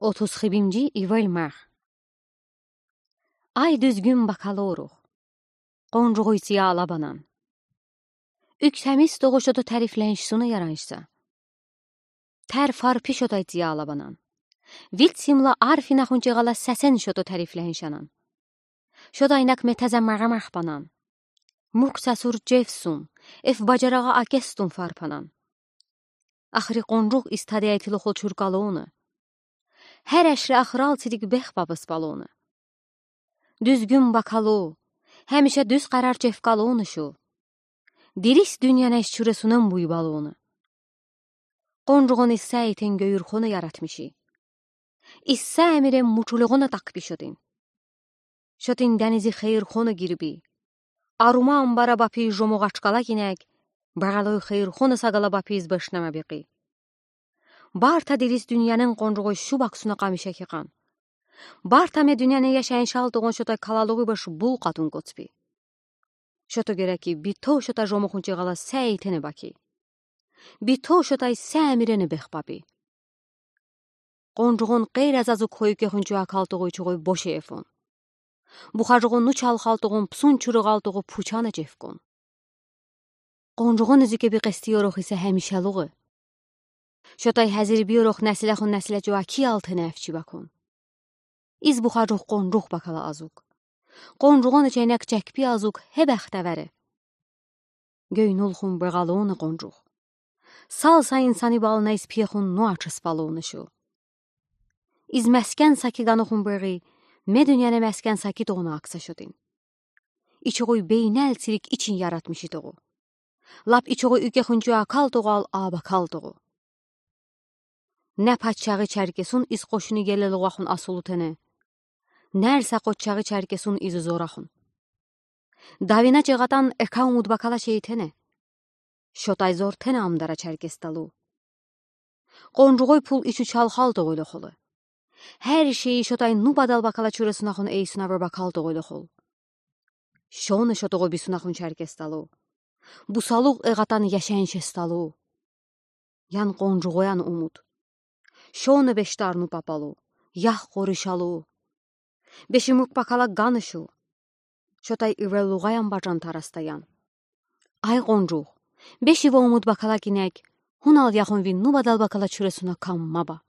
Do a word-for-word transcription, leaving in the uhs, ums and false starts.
Otuz хибимжи ивель мах. Ай, дуьзгюн бакалорух, къонжугъуй цияла банан. Уьк тамиз тоҕу шото тарифленш суна яранш са. Тер фарпи шотай цияла банан. Вид симла арф инахунчигъала сесен шото тарифленш анан. Шотай нак метезе мегъемех банан. Мук сасур чевсун, эф бажарагъа акестун фарпанан. Ахри къонжугъ истади этилохол чуркалуна. Хер эшре ахрал цирик бех бабыс балуна. Дуьзгюн бакалу, хемиша дуьз къарар чевкалуна шу. Дирис дуьньяна иш чуресунам буй балуна. Къонжугъун иссә итен гёюрхона яратмиши. Иссә эмирен мучулугъуна такпи шотин. Шотин денизи хейирхона гирби. Арума амбара бапи жомугъ ачкъала гинек, бегъалуй хейирхона сагала бапиз бешнеме бекъи. Барта дирис дуьньянын къонжугъуй шу баксуна къамиша кикъан. Барта ме дуьньяны яшайын шалтугъун шотай калалугъуй беш бул къатун коцпи. Шото гереки битов шота жомугъунчигъала сәйтене баки. Битов шотай сәмирене бехпапи. Къонжугъун къейраз азук хойкехунчу акалтугъуй чугъуй боши эфон. Бухажугъун ну чалхалтугъун псун чуругъалтугъу пучана чевкон. Къонжугъун изике би къести ёрох исе хемишалугъы. Шотай хазир би ёрох нәсилехун нәсиле чуаки алтене эфчи бакон. Из бухажугъ къонжугъ бакала азук. Къонжугъун ичейнек чекпи азук хебехте вере. Гёйнулхун бегъалуна къонжугъ. Сал са инсани бална из пехун ну ачыс балуна шу. Из мескен саки ганухун бегъи, ме дуьньяна мескен саки тоғуна акса шотин. Ичугъуй бейнел цирик ичин яратмиши тоғу. Лап ичугъуй уьйкехунчу акалтугъу ал абакалтугъу. Не пачагъи Черкесун из къошуни гелелугъахун асулутене. Нерса къоччагъи Черкесун из зорахун. Давина чегъатан эка умуд бакала шейтене. Шотай зортене амдара Черкес талу. Къонжугъуй пул ичу чалхалтугъуйлу холу. Хер шей шотай ну бадал бакала чуресунахун эйсуна бир бакалтугъуйлу хол. Шону шотугъу бисунахун Черкес талу. Бусалугъ эгъатан яшеншес талу. Ян къонжугъуян умуд. Шону бештарну папалу, ях къоришалу. Беши мук бакала ганышу. Шотай ивелугъаян бажан тарастаян. Ай къонжугъ, беши ва умуд бакала гинек, хунал яхун винну бадал бакала чуресуна камма ба.